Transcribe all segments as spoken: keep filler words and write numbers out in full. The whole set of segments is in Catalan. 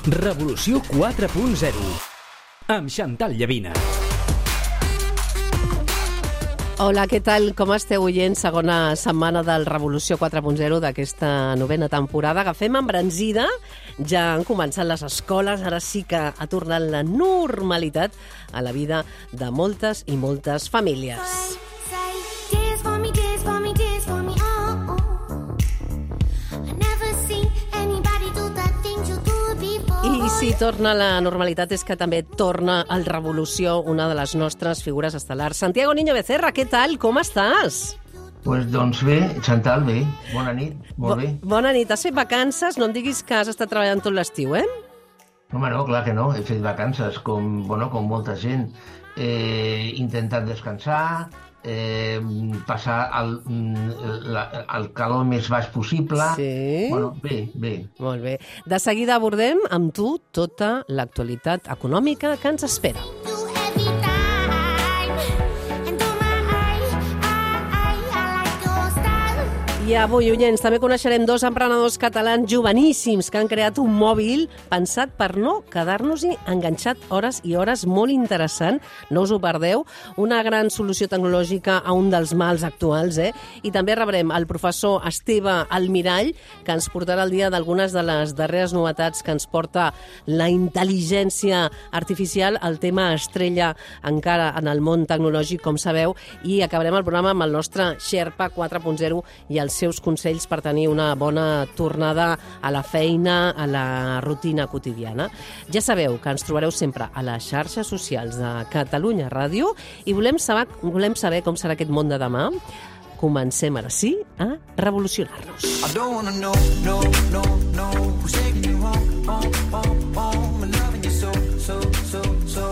Revolució quatre punt zero amb Chantal Llavina. Hola, què tal? Com esteu, oients? Segona setmana del Revolució quatre punt zero d'aquesta novena temporada. Agafem embranzida, ja han començat les escoles, ara sí que ha tornat la normalitat a la vida de moltes i moltes famílies. I si torna la normalitat és que també torna al Revolució una de les nostres figures estel·lars. Santiago Niño Becerra, què tal? Com estàs? Pues, doncs bé, Chantal, bé. Bona nit, molt bé. Bo- bona nit. Has fet vacances? No em diguis que has estat treballant tot l'estiu, eh? Home, no, clar que no. He fet vacances, com, bueno, com molta gent. He intentat descansar, eh, passar el, la, el calor més baix possible. Sí. Bueno, bé, bé. Molt bé. De seguida abordem amb tu tota l'actualitat econòmica que ens espera. I avui, oients, també coneixerem dos emprenedors catalans joveníssims que han creat un mòbil pensat per no quedar-nos-hi enganxat hores i hores, molt interessant, no us ho perdeu, una gran solució tecnològica a un dels mals actuals, eh? I també rebrem el professor Esteve Almirall, que ens portarà al dia d'algunes de les darreres novetats que ens porta la intel·ligència artificial, el tema estrella encara en el món tecnològic, com sabeu, i acabarem el programa amb el nostre Sherpa quatre punt zero i els seus consells per tenir una bona tornada a la feina, a la rutina quotidiana. Ja sabeu que ens trobareu sempre a les xarxes socials de Catalunya Ràdio i volem saber, volem saber com serà aquest món de demà. Comencem ara sí a revolucionar-nos. I don't wanna know, no, no, no, who's taking you home, home, home, home, and loving you so, so, so, so,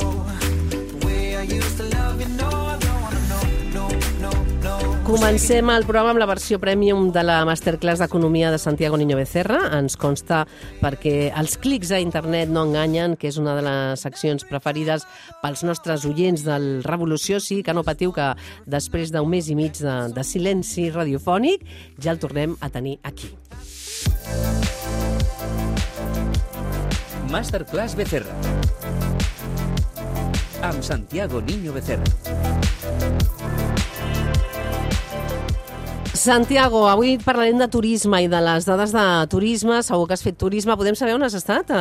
the way I used to love you, no, I don't wanna know, no, no, no. Comencem el programa amb la versió premium de la Masterclass d'Economia de Santiago Niño Becerra. Ens consta perquè els clics a internet no enganyen, que és una de les seccions preferides pels nostres oients del Revolució. Sí, que no patiu, que després d'un mes i mig de, de silenci radiofònic ja el tornem a tenir aquí. Masterclass Becerra amb Santiago Niño Becerra. Santiago, avui parlarem de turisme i de les dades de turisme. Segur que has fet turisme. Podem saber on has estat a,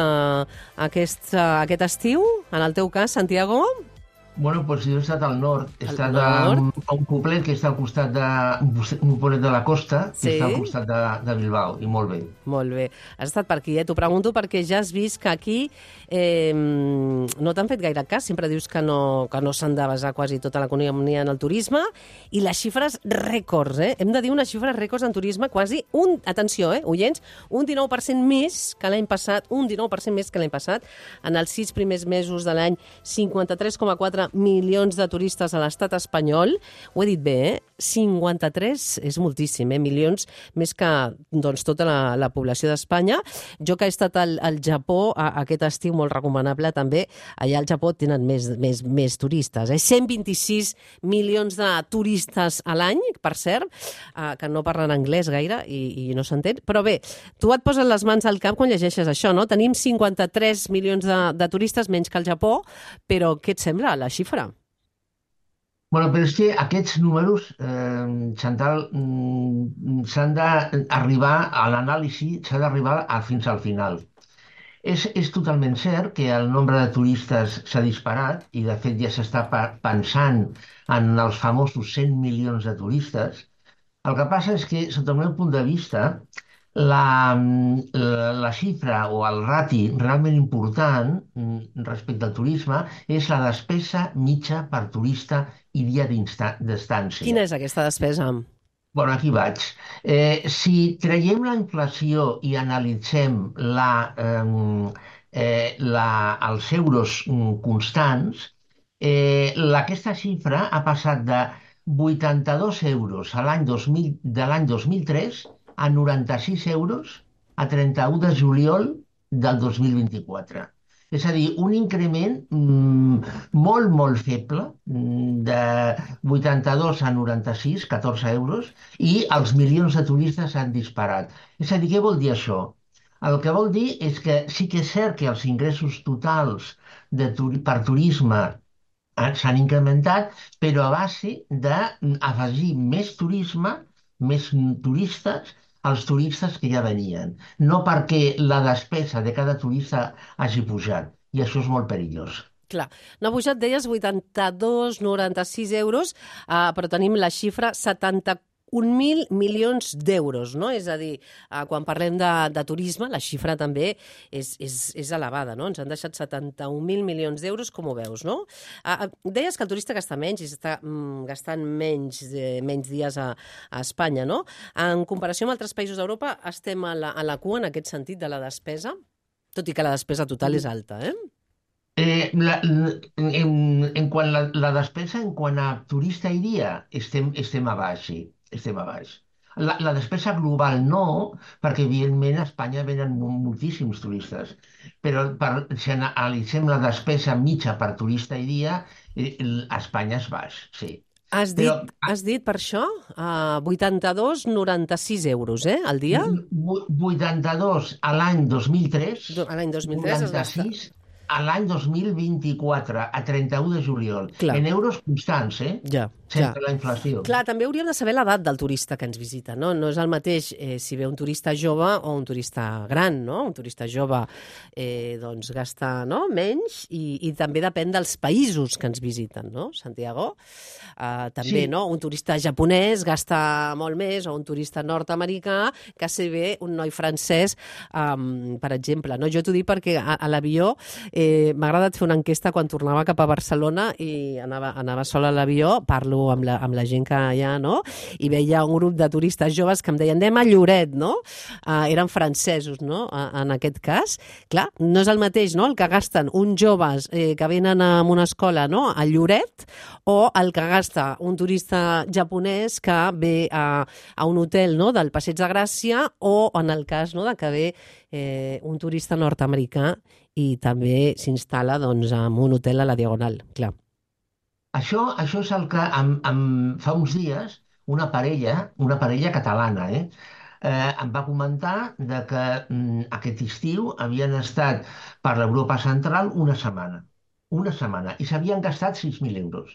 a aquest, a aquest estiu? En el teu cas, Santiago? Bueno, doncs jo he estat al nord. He Al estat nord? a, a un poblet que està al costat de... un poblet de la costa, Sí? que està al costat de, de Bilbao, i molt bé. Molt bé. Has estat per aquí, eh? T'ho pregunto perquè ja has vist que aquí eh, no t'han fet gaire cas. Sempre dius que no, que no s'han de basar quasi tota l'economia en el turisme. I les xifres rècords, eh? Hem de dir unes xifres rècords en turisme, quasi un, atenció, eh, oients, un dinou per cent més que l'any passat, un dinou per cent més que l'any passat. En els sis primers mesos de l'any, cinquanta-tres coma quatre milions de turistes a l'estat espanyol. Ho he dit bé, eh? cinquanta-tres és moltíssim, eh? Milions més que doncs, tota la, la població d'Espanya. Jo que he estat al, al Japó a, aquest estiu, molt recomanable també, allà al Japó tenen més, més, més turistes. Eh? cent vint-i-sis milions de turistes a l'any, per cert, eh, que no parlen anglès gaire i, i no s'entén. Però bé, tu et poses les mans al cap quan llegeixes això, no? Tenim cinquanta-tres milions de, de turistes, menys que al Japó, però què et sembla la xifra? Bueno, però és que aquests números, eh, Chantal, mm, s'han d'arribar a l'anàlisi, s'ha d'arribar a, fins al final. És, és totalment cert que el nombre de turistes s'ha disparat i, de fet, ja s'està pa- pensant en els famosos cent milions de turistes. El que passa és que, sota el meu punt de vista, la, la, la xifra o el rati realment important mm, respecte al turisme és la despesa mitja per turista i dia d'insta- d'estància. Quina és aquesta despesa? Bueno, aquí vaig. Eh, si traiem la inflació i analitzem la, eh, eh, la, els euros mm, constants, eh, la, aquesta xifra ha passat de vuitanta-dos euros a l'any dos mil, de l'any dos mil tres a noranta-sis euros a trenta-u de juliol del dos mil vint-i-quatre. És a dir, un increment mm, molt, molt feble, mm, de vuitanta-dos a noranta-sis, catorze euros, i els milions de turistes han disparat. És a dir, què vol dir això? El que vol dir és que sí que és cert que els ingressos totals de turi per turisme eh, s'han incrementat, però a base d'afegir més turisme, més turistes, als turistes que ja venien. No perquè la despesa de cada turista hagi pujat, i això és molt perillós. Clar, n'ha pujat, deies, vuitanta-dos coma noranta-sis euros, eh, però tenim la xifra setanta-un mil milions d'euros, no? És a dir, eh, quan parlem de, de turisme, la xifra també és, és, és elevada, no? Ens han deixat setanta-un mil milions d'euros, com ho veus, no? Eh, deies que el turista gasta menys i està mm, gastant menys, eh, menys dies a, a Espanya, no? En comparació amb altres països d'Europa, estem a la, a la cua en aquest sentit de la despesa, tot i que la despesa total és alta, eh? Eh, la, en, en quant la, la despesa, en quant a turista i dia, estem, estem a baix, sí, estem a baix. La, la despesa global no, perquè evidentment a Espanya venen moltíssims turistes, però per, si analitzem la despesa mitja per turista i dia, eh, a Espanya és baix, sí. Has Però dit, has dit per això uh, vuitanta-dos coma noranta-sis euros, eh, al dia? vuitanta-dos a l'any dos mil tres, Do- L'any dos mil tres es gasta. noranta-sis a l'any dos mil vint-i-quatre, a trenta-u de juliol, Clar. en euros constants, eh? Ja, ja. Sense la inflació. Clar, també hauríem de saber l'edat del turista que ens visita, no? No és el mateix eh, si ve un turista jove o un turista gran, no? Un turista jove eh, doncs gasta, no? menys i, i també depèn dels països que ens visiten, no, Santiago? Uh, també, Sí. no? Un turista japonès gasta molt més, o un turista nord-americà que si ve un noi francès, um, per exemple, no? Jo t'ho dic perquè a, a l'avió eh, m'ha agradat fer una enquesta quan tornava cap a Barcelona i anava, anava sola a l'avió, parlo amb la, amb la gent que hi ha, no? I veia un grup de turistes joves que em deien anem a Lloret, no? Uh, eren francesos, no? Uh, en aquest cas. Clar, no és el mateix, no? El que gasten uns joves eh, que venen a una escola, no? A Lloret, o el que gasta un turista japonès que ve a, a un hotel, no? Del Passeig de Gràcia, o en el cas, no? de que ve eh, un turista nord-americà i també s'instal·la doncs, en un hotel a la Diagonal, clar. Això, això és el que em, em, fa uns dies una parella, una parella catalana, eh, eh, em va comentar de que mm, aquest estiu havien estat per l'Europa Central una setmana. Una setmana. I s'havien gastat sis mil euros.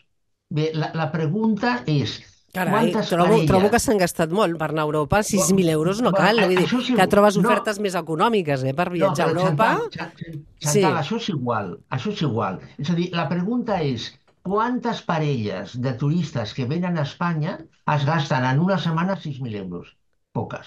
Bé, la, la pregunta és, Carai, quantes trobo, parelles... trobo que s'han gastat molt per anar a Europa, sis mil euros no Bueno, cal, vull dir, això sí, que trobes no. ofertes més econòmiques eh, per No, viatjar però a Europa. Chantal, Chantal, Sí. això és igual, això és igual. És a dir, la pregunta és, quantes parelles de turistes que venen a Espanya es gasten en una setmana sis mil euros? Poques.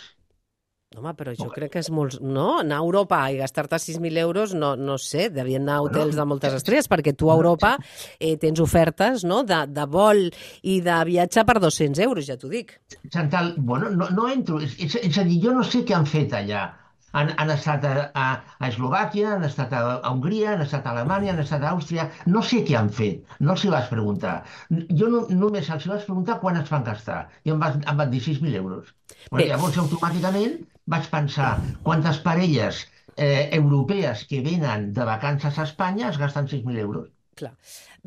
Home, però jo Poques. crec que és molt... No? Anar a Europa i gastar-te sis mil euros, no, no sé, devien anar a hotels de moltes estrelles, perquè tu a Europa eh, tens ofertes, no?, de, de vol i de viatge per dos-cents euros, ja t'ho dic. Chantal, bueno, no, no entro. És, és, és a dir, jo no sé què han fet allà. Han, han estat a, a, a Eslovàquia, han estat a, a Hongria, han estat a Alemanya, han estat a Àustria... No sé què han fet, no els hi vaig preguntar. Jo no, només els hi vaig preguntar quan es van gastar, i em, va, em van dir sis mil euros. Bueno, Bé. llavors, automàticament vaig pensar quantes parelles eh, europees que venen de vacances a Espanya es gasten sis mil euros. Clar.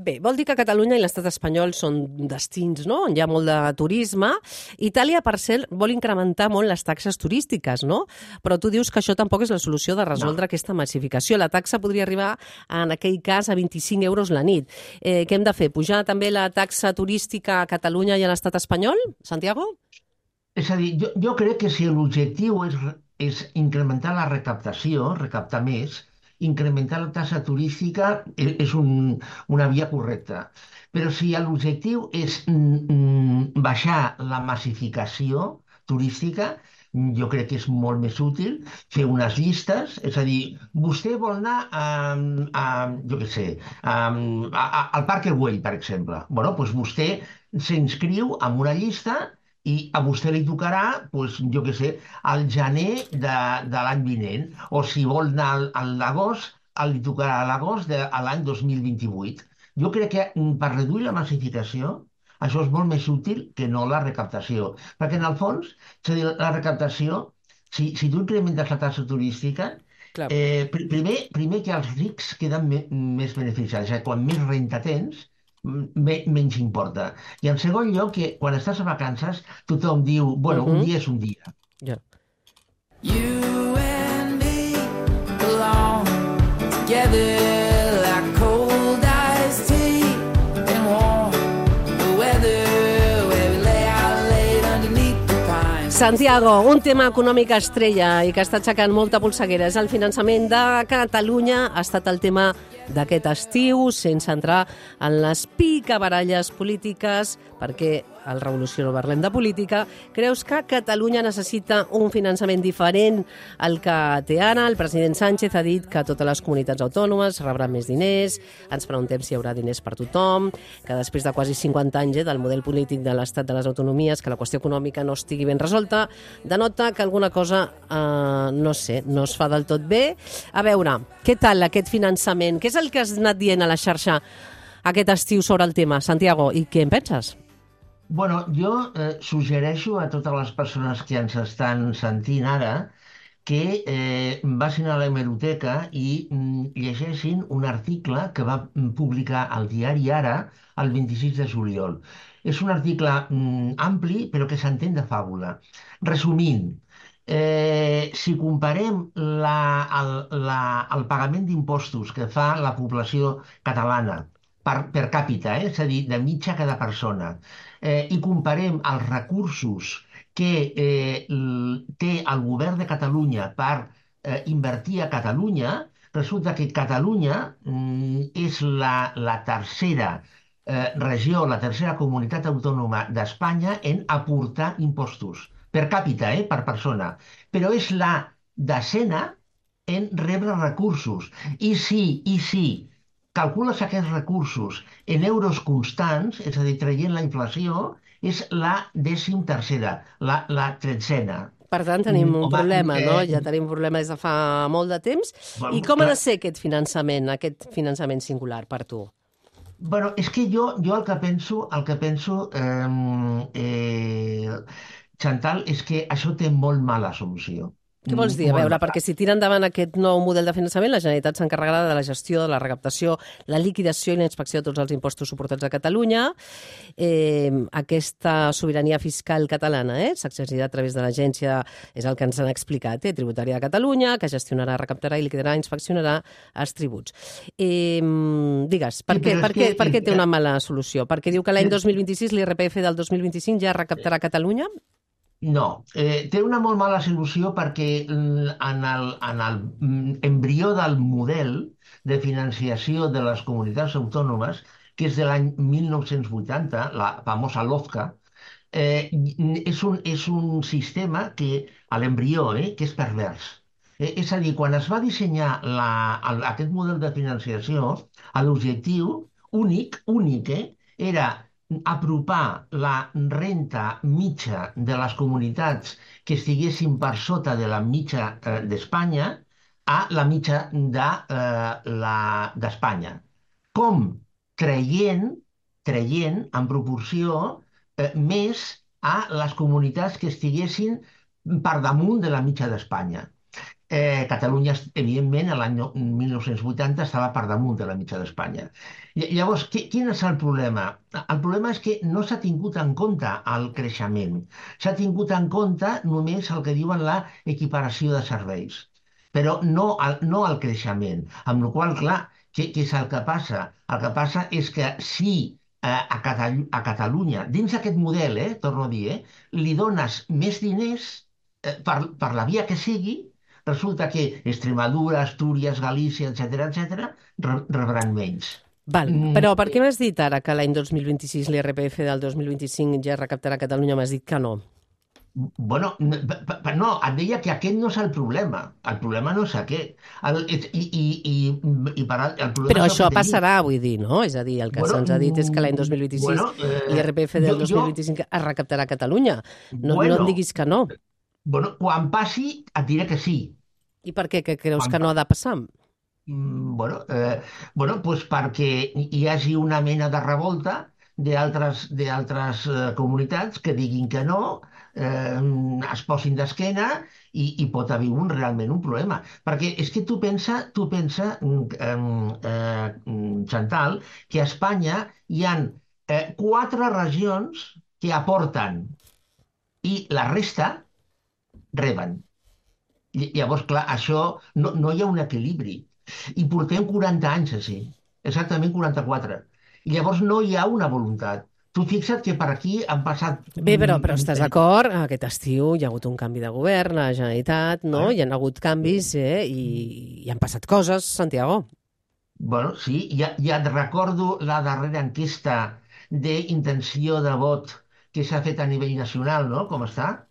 Bé, vol dir que Catalunya i l'estat espanyol són destins, no?, on hi ha molt de turisme. Itàlia, per cert, vol incrementar molt les taxes turístiques, no? Però tu dius que això tampoc és la solució de resoldre no. aquesta massificació. La taxa podria arribar, en aquell cas, a vint-i-cinc euros la nit. Eh, què hem de fer? Pujar també la taxa turística a Catalunya i a l'estat espanyol, Santiago? És a dir, jo, jo crec que si l'objectiu és, és incrementar la recaptació, recaptar més, incrementar la taxa turística és, és un, una via correcta. Però si l'objectiu és mm, baixar la massificació turística, jo crec que és molt més útil fer unes llistes, és a dir, vostè vol anar a, a jo què sé, a, a, a, al Parque Güell, per exemple. Bueno, doncs vostè s'inscriu en una llista i a vostè li tocarà, doncs, jo què sé, al gener de, de l'any vinent, o si vol anar al, a l'agost, li tocarà a l'agost de a l'any dos mil vint-i-vuit. Jo crec que per reduir la massificació, això és molt més útil que no la recaptació. Perquè, en el fons, és a dir, la recaptació, si, si tu incrementes la taxa turística, eh, pr primer, primer que els rics queden me més beneficiats. Eh? Quan més renta tens, Me, menys importa. I en segon lloc, que quan estàs a vacances, tothom diu, bueno, uh -huh. un dia és un dia. Ja. You and me. together like cold iced tea and warm the weather where we lay out late underneath the pines. Santiago, un tema econòmic estrella i que està aixecant molta polseguera és el finançament de Catalunya. Ha estat el tema d'aquest estiu, sense entrar en les picabaralles polítiques, perquè al Revolució no parlem de política. Creus que Catalunya necessita un finançament diferent al que té ara? El president Sánchez ha dit que totes les comunitats autònomes rebran més diners. Ens preguntem si hi haurà diners per tothom, que després de quasi cinquanta anys eh, del model polític de l'estat de les autonomies, que la qüestió econòmica no estigui ben resolta, denota que alguna cosa, eh, no sé, no es fa del tot bé. A veure, què tal aquest finançament? Què és el que has anat dient a la xarxa aquest estiu sobre el tema, Santiago, i què en penses? Bueno, jo eh, suggereixo a totes les persones que ens estan sentint ara que eh, vagin a l'hemeroteca i mm, llegeixin un article que va publicar el diari Ara el vint-i-sis de juliol. És un article mm, ampli, però que s'entén de fàbula. Resumint, eh, si comparem la, el, la, el pagament d'impostos que fa la població catalana per, per càpita, eh? És a dir, de mitja cada persona, eh, i comparem els recursos que eh, té el govern de Catalunya per eh, invertir a Catalunya, resulta que Catalunya mm, és la, la tercera eh, regió, la tercera comunitat autònoma d'Espanya en aportar impostos, per càpita, eh, per persona, però és la desena en rebre recursos. I si, i si calcules aquests recursos en euros constants, és a dir, traient la inflació, és la dècim tercera, la, la tretzena. Per tant, tenim un Home, problema, eh, no? Ja tenim un problema des de fa molt de temps. Bueno, I com ha clar. de ser aquest finançament, aquest finançament singular per tu? Bueno, és que jo, jo el que penso, el que penso, eh, eh, Chantal, és que això té molt mala solució. Què vols dir? A veure, perquè si tira endavant aquest nou model de finançament, la Generalitat s'encarregarà de la gestió, de la recaptació, la liquidació i la inspecció de tots els impostos suportats a Catalunya. Eh, aquesta sobirania fiscal catalana eh, s'exercirà a través de l'agència, és el que ens han explicat, eh, tributària de Catalunya, que gestionarà, recaptarà i liquidarà, inspeccionarà els tributs. Eh, digues, per, Sí, què, però és per, què, que- per què té una mala solució? Perquè diu que l'any dos mil vint-i-sis l'I R P F del dos mil vint-i-cinc ja recaptarà a Catalunya? No, eh, té una molt mala solució perquè mm, en el, en el mm, embrió del model de financiació de les comunitats autònomes, que és de l'any mil nou-cents vuitanta, la famosa LOFCA, eh, és un, és un sistema que, a l'embrió, eh, que és pervers. Eh, és a dir, quan es va dissenyar la, el, aquest model de financiació, l'objectiu únic, únic, eh, era apropar la renta mitja de les comunitats que estiguessin per sota de la mitja eh, d'Espanya a la mitja de, eh, la- d'Espanya. Com? Traient, traient en proporció eh, més a les comunitats que estiguessin per damunt de la mitja d'Espanya. Eh, Catalunya, evidentment, a l'any no- mil nou-cents vuitanta estava per damunt de la mitja d'Espanya. Ll- Llavors, qui- quin és el problema? El problema és que no s'ha tingut en compte el creixement. S'ha tingut en compte només el que diuen la equiparació de serveis, però no el, no el creixement. Amb la qual cosa, clar, què, què és el que passa? El que passa és que si eh, a, Catalu a Catalunya, dins d'aquest model, eh, torno a dir, eh, li dones més diners eh, per, per la via que sigui, resulta que Extremadura, Astúries, Galícia, etcètera, etcètera, re- rebran menys. Val, Mm. però per què m'has dit ara que l'any dos mil vint-i-sis l'I R P F del dos mil vint-i-cinc ja recaptarà a Catalunya? M'has dit que no. Bueno, n- p- p- no, et deia que aquest no és el problema. El problema no és aquest. El, i, i, i, i per, al- el problema Però és el això que t'he dit. passarà, vull dir, no? És a dir, el que Bueno, se'ns ha dit és que l'any dos mil vint-i-sis bueno, eh, l'I R P F del jo- dos mil vint-i-cinc es recaptarà a Catalunya. No, Bueno. no em diguis que no. Bueno, quan passi, et diré que sí. I per què? Que creus Quan que no ha de passar? Mm, Bueno, eh, bueno pues perquè hi hagi una mena de revolta d'altres d'altres eh, comunitats que diguin que no, eh, es posin d'esquena i, i pot haver un, realment un problema. Perquè és que tu pensa, tu pensa mm, eh, mm, Chantal, que a Espanya hi han eh, quatre regions que aporten i la resta reben. Ll- Llavors, clar, això no, no hi ha un equilibri. I portem quaranta anys així, exactament quaranta-quatre. I llavors no hi ha una voluntat. Tu fixa't que per aquí han passat... Bé, però, però estàs d'acord? Aquest estiu hi ha hagut un canvi de govern a la Generalitat, no? Hi ha hagut canvis, eh? I hi han passat coses, Santiago. Bueno, sí, ja, ja et recordo la darrera enquesta d'intenció de vot que s'ha fet a nivell nacional, no? Com està?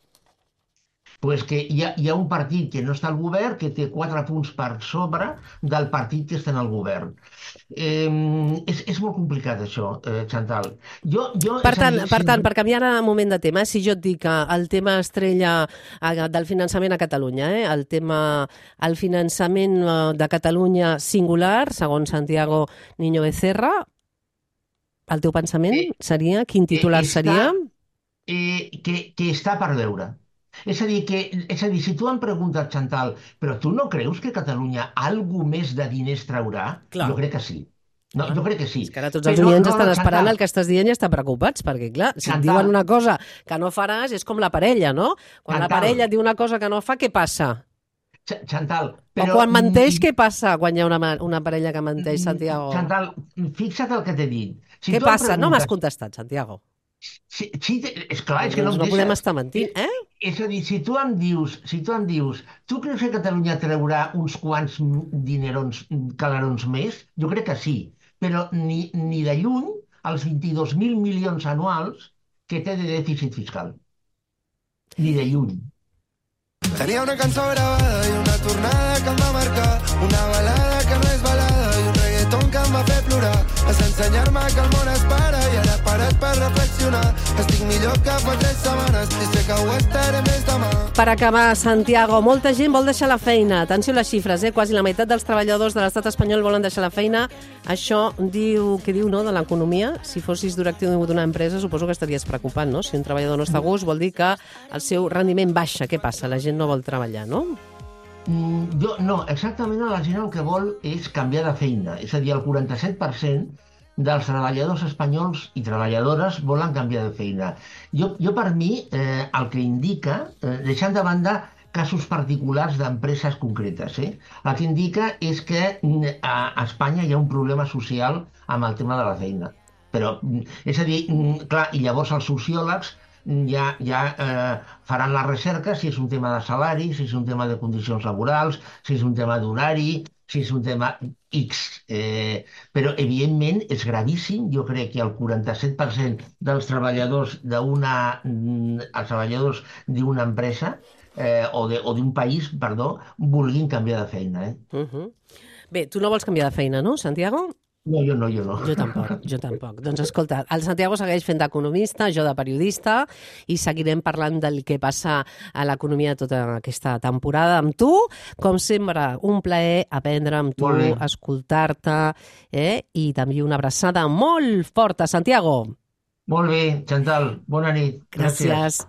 Pues que hi ha, hi ha un partit que no està al govern que té quatre punts per sobre del partit que està en el govern. Eh, és, és molt complicat això, eh, Chantal. Jo, jo, Per és a tant, dir, per si- tant, per canviar un moment de tema, si jo et dic que el tema estrella eh, del finançament a Catalunya, eh, el tema, el finançament eh, de Catalunya singular, segons Santiago Niño Becerra, el teu pensament Eh, seria, quin titular està- seria? eh, que, que està per veure. És a dir, que, és a dir, si tu em preguntes, Chantal, però tu no creus que Catalunya algú més de diners traurà? Clar. Jo crec que sí. No, jo crec que sí. És que ara tots els Però oients no, estan no, esperant Chantal, el que estàs dient i estan preocupats, perquè, clar, si et Chantal. diuen una cosa que no faràs, és com la parella, no? Quan la Chantal. parella et diu una cosa que no fa, què passa? Ch- Chantal, O però... quan menteix, què passa quan hi ha una, ma- una parella que menteix, Santiago? Chantal, fixa't el que t'he dit. Si Què tu em passa? No m'has preguntes- contestat, Santiago. Si, si, és clar, és que no Doncs em no podem deixes. estar mentint, eh? És a dir, si tu em dius, si tu em dius, tu creus que Catalunya traurà uns quants dinerons, calarons més? Jo crec que sí, però ni, ni de lluny els vint-i-dos mil milions anuals que té de dèficit fiscal. Ni de lluny. Tenia una cançó gravada i una tornada que em va marcar, una balada que no és balada i un reggaeton que em va fer plorar. Vas ensenyar-me que el món es para i ara parat per reflexionar. Estic millor que fa tres setmanes i sé que ho estaré més demà. Per acabar, Santiago, molta gent vol deixar la feina. Atenció a les xifres, eh? Quasi la meitat dels treballadors de l'estat espanyol volen deixar la feina. Això diu, què diu, no?, de l'economia. Si fossis directiu d'una empresa, suposo que estaries preocupant, no? Si un treballador no està a gust, vol dir que el seu rendiment baixa. Què passa? La gent no vol treballar, no? Mm, jo, no, exactament la gent el que vol és canviar de feina. És a dir, el quaranta-set per cent dels treballadors espanyols i treballadores volen canviar de feina. Jo, jo per mi, eh, el que indica, eh, deixant de banda casos particulars d'empreses concretes, eh, el que indica és que mm, a Espanya hi ha un problema social amb el tema de la feina. Però, mm, és a dir, mm, clar, i llavors els sociòlegs ja, ja eh, faran la recerca si és un tema de salari, si és un tema de condicions laborals, si és un tema d'horari, si és un tema X. Eh, però, evidentment, és gravíssim. Jo crec que el quaranta-set per cent dels treballadors d'una mm, els treballadors d'una empresa eh, o de- o d'un país, perdó, vulguin canviar de feina. Eh? Uh -huh. Bé, tu no vols canviar de feina, no, Santiago? No, jo no, jo no. Jo tampoc, jo tampoc. Doncs escolta, el Santiago segueix fent d'economista, jo de periodista, i seguirem parlant del que passa a l'economia tota aquesta temporada amb tu. Com sempre, un plaer aprendre amb tu, Molt bé. escoltar-te, eh? I també una abraçada molt forta, Santiago. Molt bé, Chantal, bona nit. Gràcies.